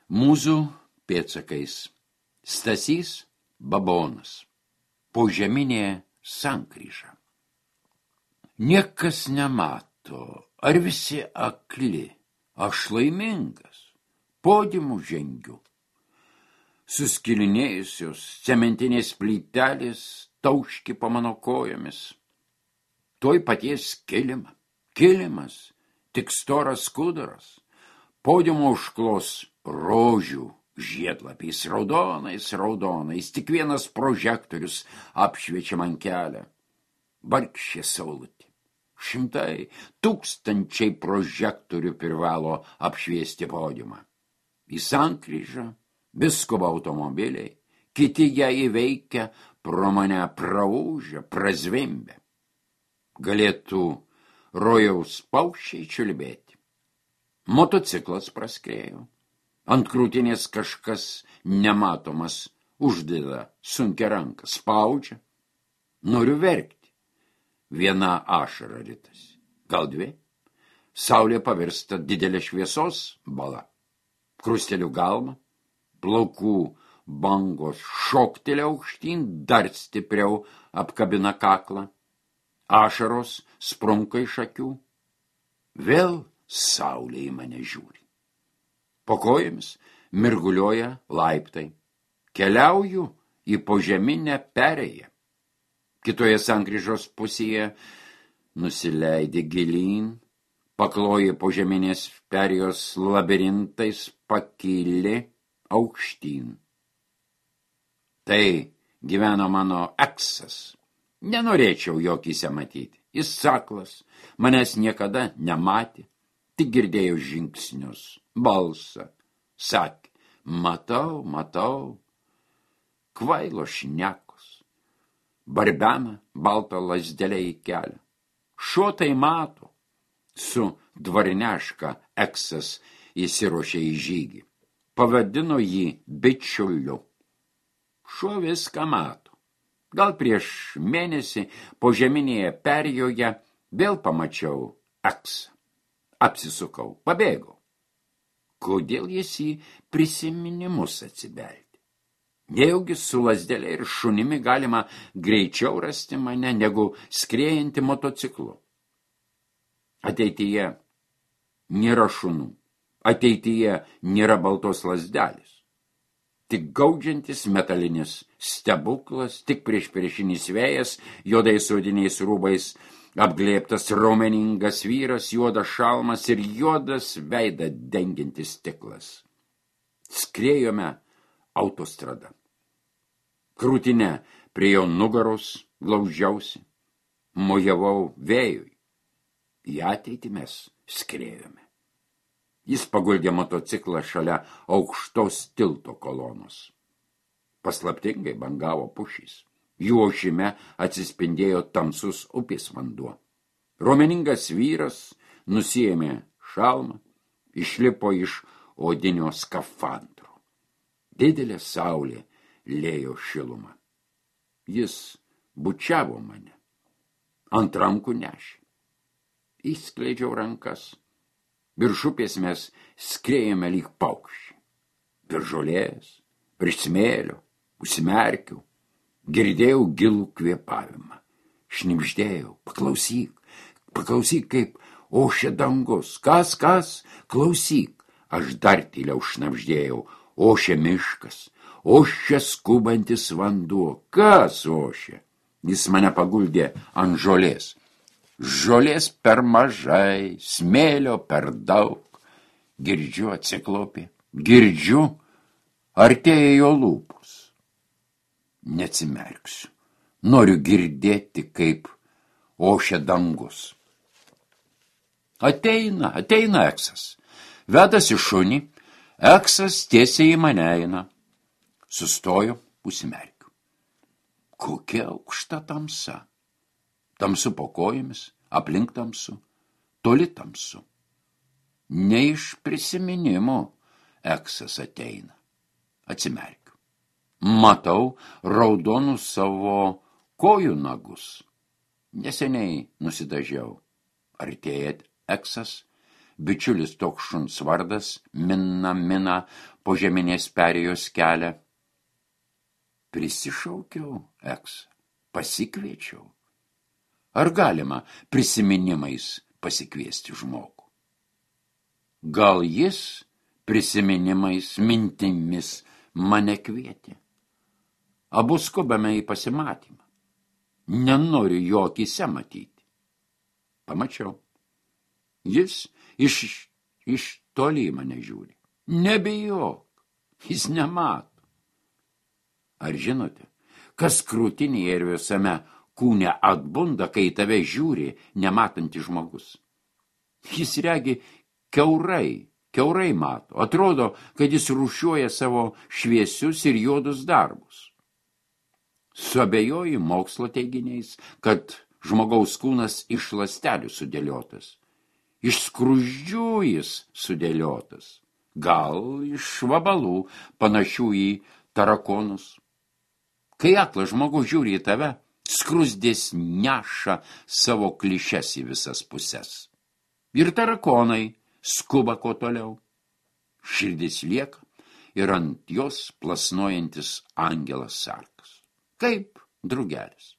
Mūzų pėdsakais. Stasys Babonas. Požeminė sankryža. Niekas nemato, ar visi akli. Aš laimingas. Podiumu žengiu. Suskilinėjusios cementinės plytelės tauški po mano kojomis. Tuoj paties kilimas, tik storas skuduras. Podiumo užklos rožių žiedlapiais, raudonais, tik vienas prožektorius apšviečia man kelią. Vargšė saulutė. 100, 1000 prožektorių privalo apšviesti podiumą. Į sankryžą viskuba automobiliai, kiti ją įveikia, pro mane praūžia, prazvimbia. Galėtų rojaus paukščiai čiulbėti. Motociklas praskrėjo. Ant krūtinės kažkas nematomas uždeda sunkia ranka, spaudžia. Noriu verkti. Viena ašara ritasi, gal 2. Saulė pavirsta didelė šviesos bala. Krusteliu galvą, plaukų bangos šoktelė aukštyn, dar stipriau apkabina kaklą. Ašaros sprunka iš akių. Vėl saulė į mane žiūri. Po kojomis mirguliuoja laiptai. Keliauju į požeminę perėją. Kitoje sankryžos pusėje nusileidi gilyn, pakloji požeminės perėjos labirintais, pakyli aukštyn. Tai gyveno mano eksas. Nenorėčiau jokyse matyti. Jis saklas, manęs niekada nematė, tik girdėjau žingsnius, balsą. Sakė, matau, kvailo šnekos. Barbena baltą lazdelę į kelią. Šuo tai mato. Su dvarneška eksas įsiruošė į žygį. Pavadino jį bičiuliu. Šuo viską mato. Gal prieš mėnesį požeminėje perėjoje vėl pamačiau eksą. Apsisukau, pabėgau. Kodėl jis į prisiminimus atsibeldė? Nejaugi su lazdelė ir šunimi galima greičiau rasti mane, negu skriejantį motociklu. Ateityje nėra šunų. Ateityje nėra baltos lazdelės. Tik gaudžiantis metalinis stebuklas, tik priešinis vėjas, juodais odiniais rūbais, apglėbtas raumeningas vyras, juodas šalmas ir juodas veidą dengiantis stiklas. Skriejome autostrada. Krūtinę prie jo nugaros glaužiausi, mojavau vėjui. Į ateitį mes skriejome. Jis paguldė motociklą šalia aukštos tilto kolonos. Paslaptingai bangavo pušys. Jų ošime atsispindėjo tamsus upės vanduo. Raumeningas vyras nusiėmė šalmą, išlipo iš odinio skafandro. Didelė saulė lėjo šilumą. Jis bučiavo mane. Ant rankų nešė. Įskleidžiau rankas. Virš upės mes skriejome lyg paukščiai. Virš žolės, virš smėlio, užsimerkiau. Girdėjau gilų kvėpavimą. Šnibždėjau, paklausyk, kaip ošia dangus. Kas, klausyk. Aš dar tyliau šnabždėjau, ošia miškas, ošia skubantis vanduo. Kas ošia? Jis mane paguldė ant žolės. Žolės per mažai, smėlio per daug. Girdžiu atsiklopė, artėja jo lūpos. Neatsimerksiu. Noriu girdėti, kaip ošia dangus. Ateina eksas. Vedasi šunį, eksas tiesiai į mane eina. Sustoju, užsimerkiu. Kokia aukšta tamsa. Tamsu po kojomis, aplink tamsu, toli tamsu. Ne iš prisiminimo eksas ateina. Atsimerkiu. Matau raudonus savo kojų nagus. Neseniai nusidažiau. Artėja eksas, bičiulis toks šuns vardas, mina po žeminės perėjos kelią. Prisišaukiau Eksą, pasikviečiau. Ar galima prisiminimais pasikviesti žmogų? Gal jis prisiminimais, mintimis mane kvietė? Abu skubame į pasimatymą. Nenoriu jo akyse matyti. Pamačiau. Jis iš toli mane žiūri. Nebijok, jis nemato. Ar žinote, kas krūtinėje ir visame kūne atbunda, kai tave žiūri nematantis žmogus? Jis regi kiaurai mato. Atrodo, kad jis rūšiuoja savo šviesius ir juodus darbus. Suabejoji mokslo teiginiais, kad žmogaus kūnas iš ląstelių sudėliotas. Iš skruzdžių jis sudėliotas. Gal iš vabalų panašių į tarakonus. Kai aklas žmogus žiūri į tave, skruzdės neša savo klišes į visas puses. Ir tarakonai skuba kuo toliau. Širdis lieka ir ant jos plasnojantis angelas sargas. Kaip drugelis.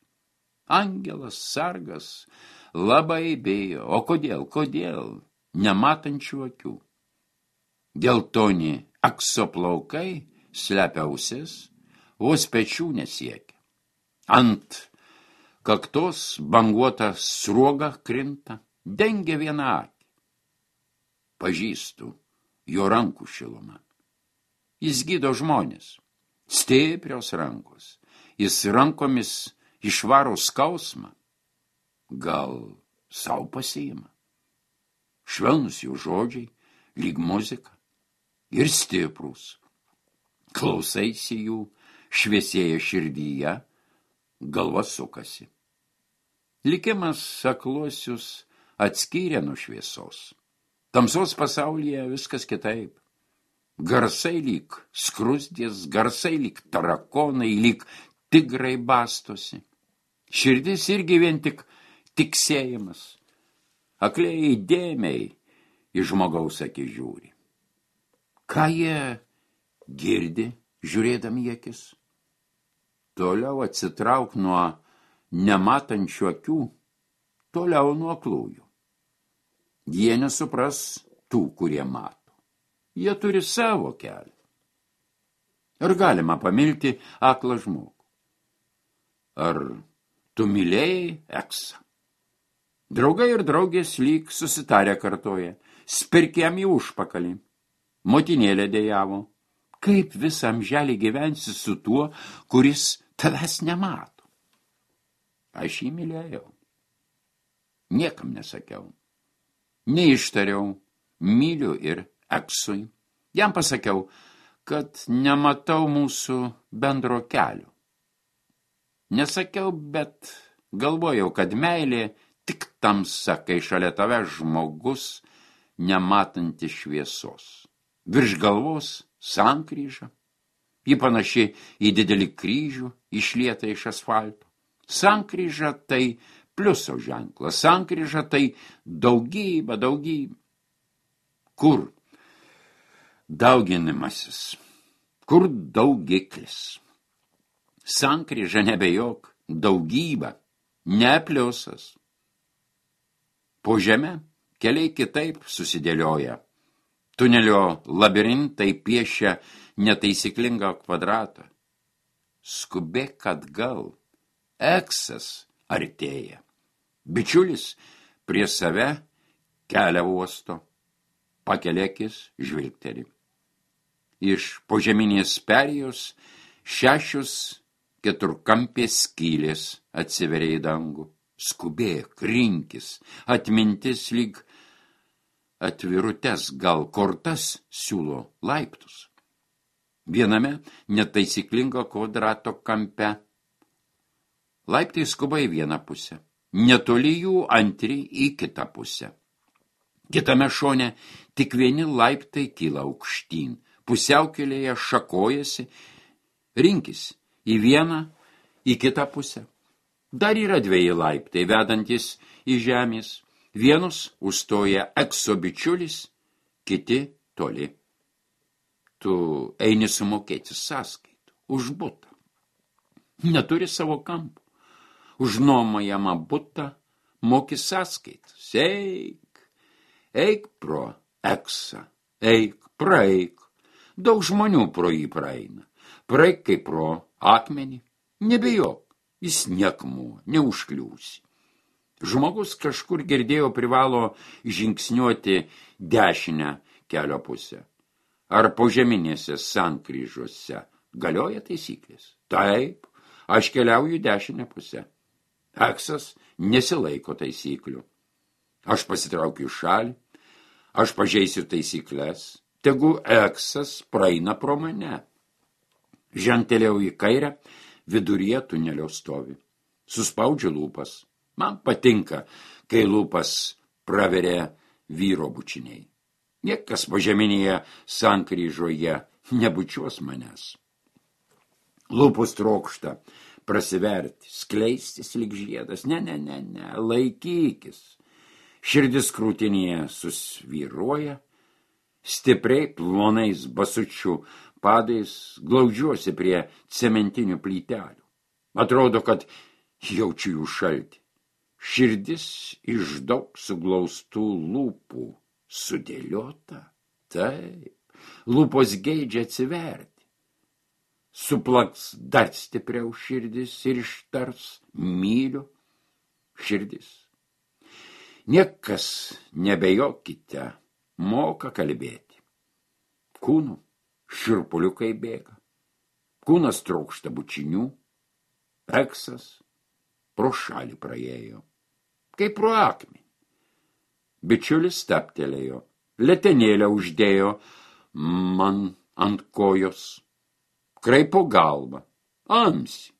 Angelas sargas labai bijo. O kodėl? Nematančių akių. Geltoni Ekso plaukai slepia ausis, vos pečių nesiekia. Ant kaktos banguota sruoga krinta, dengia vieną akį. Pažįstu jo rankų šilumą. Jis gydo žmonės, stiprios rankos. Jis rankomis išvaro skausmą. Gal sau pasiima. Švelnus jų žodžiai, lyg muzika. Ir stiprus. Klausaisi jų, šviesėja širdyje, galva sukasi. Likimas akluosius atskyrė nuo šviesos. Tamsos pasaulyje viskas kitaip. Garsai lyg skruzdės, garsai lyg tarakonai, lyg tigrai bastosi. Širdis irgi vien tik tiksėjimas. Akliai dėmiai į žmogaus akį žiūri. Ką jie girdi, žiūrėdami į akis? Toliau atsitrauk nuo nematančių akių, toliau nuo aklųjų. Jie nesupras tų, kurie mato. Jie turi savo kelią. Ar galima pamilti aklą žmogų? Ar tu mylėjai Eksą? Draugai ir draugės lyg susitarę kartoja, spirkėm į užpakalį. Motinėlė dejavo, kaip visą amželį gyvensi su tuo, kuris tavęs nemato. Aš jį mylėjau. Niekam nesakiau. Neištariau, myliu ir Eksui. Jam pasakiau, kad nematau mūsų bendro kelio. Nesakiau, bet galvojau, kad meilė tik tamsa, kai šalia tave žmogus nematanti šviesos. Virš galvos sankryža. Ji panaši į didelį kryžių išlietą iš asfalto. Sankryža tai pliuso ženklas. Sankryža tai daugybė. Kur dauginimasis? Kur daugiklis? Sankryža nebejok, daugybė, ne pliusas. Po žemę keliai kitaip susidėlioja. Tunelio labirintai piešia netaisyklingą kvadratą. Skubėk atgal. Eksas artėja. Bičiulis prie save kelią uosto. Pakelėkis žvilgteli. Iš požeminės perėjos 6 keturkampės skylės atsiveria į dangų. Skubėk, rinkis, atmintis lyg atvirutes, gal kortas siūlo laiptus. Viename netaisyklingo kvadrato kampe laiptai skuba į vieną pusę, netoli jų antri į kitą pusę. Kitame šone tik vieni laiptai kyla aukštyn, pusiaukelėje šakojasi, rinkis į vieną, į kitą pusę. Dar yra 2 laiptai vedantis į žemės. Vienus užstoja ekso bičiulis, kiti toli. Tu eini sumokėti sąskaitų už butą. Neturi savo kampų. Už nuomojamą butą moki sąskaitas. Eik pro eksą. Eik, praeik. Daug žmonių pro jį praeina. Praeik kaip pro akmenį. Nebijok, jis niekmuo, neužkliūsi. Žmogus kažkur girdėjo privalo žingsniuoti dešinę kelio pusę. Ar požeminėse sankryžose galioja taisyklės? Taip, aš keliauju dešinę pusę. Eksas nesilaiko taisyklių. Aš pasitraukiu šalį, aš pažeisiu taisyklės, tegu eksas praeina pro mane. Žengtelėjau į kairę, viduryje tunelio stovi. Suspaudžiu lūpas. Man patinka, kai lūpas praveria vyro bučiniai. Niekas požeminėje sankryžoje nebučiuos manęs. Lūpus trokšta prasiverti, skleistis lyg žiedas. Ne, laikykis. Širdis krūtinėje susvyruoja, stipriai plonais basučių padais glaudžiuosi prie cementinių plytelių. Atrodo, kad jaučiu jų šaltį. Širdis iš daug suglaustų lūpų sudėliota. Taip, lūpos geidžia atsiverti. Suplaks dar stipriau širdis ir ištars myliu. Širdis. Niekas, nebejokite, moka kalbėti. Kūnų šiurpuliukai bėga. Kūnas trokšta bučinių. Eksas pro šalį praėjo. Kaip pro akmenį. Bičiulis staptelėjo. Letenėlę uždėjo man ant kojos. Kraipo galvą. Amsi.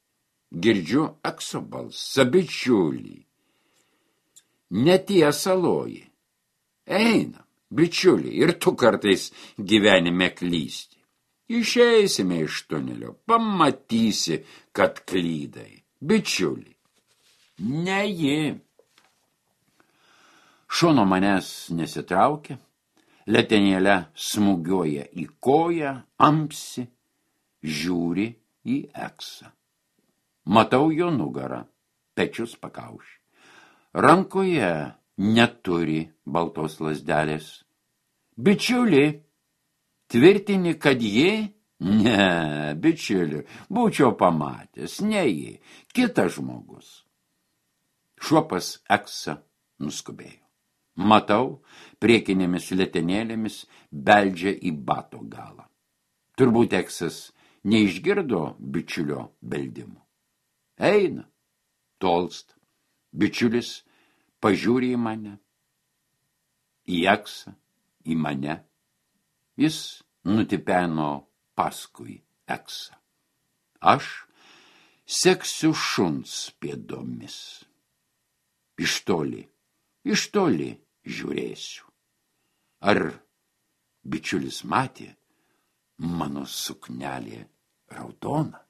Girdžiu ekso balsą. Bičiulį. Netiesa loji. Einam, bičiulį, ir tu kartais gyvenime klysti. Išeisime iš tunelio, pamatysi, kad klydai. Bičiulį. Ne ji. Šono manęs nesitraukia, letenėlę smūgiuoja į koją, amsi, žiūri į eksą. Matau jo nugarą, pečius pakaušį. Rankoje neturi baltos lazdelės. Bičiuli, tvirtini, kad ji? Ne, bičiuli, būčiau pamatęs, ne ji, kitas žmogus. Šuopas eksą nuskubėjo. Matau, priekinėmis letenėlėmis beldžia į bato galą. Turbūt eksas neišgirdo bičiulio beldimų. Eina, tolsta. Bičiulis pažiūri į mane, į eksą, į mane. Jis nutipeno paskui eksą. Aš seksiu šuns pėdomis. Iš toli žiūrėsiu. Ar bičiulis matė mano suknelė raudona?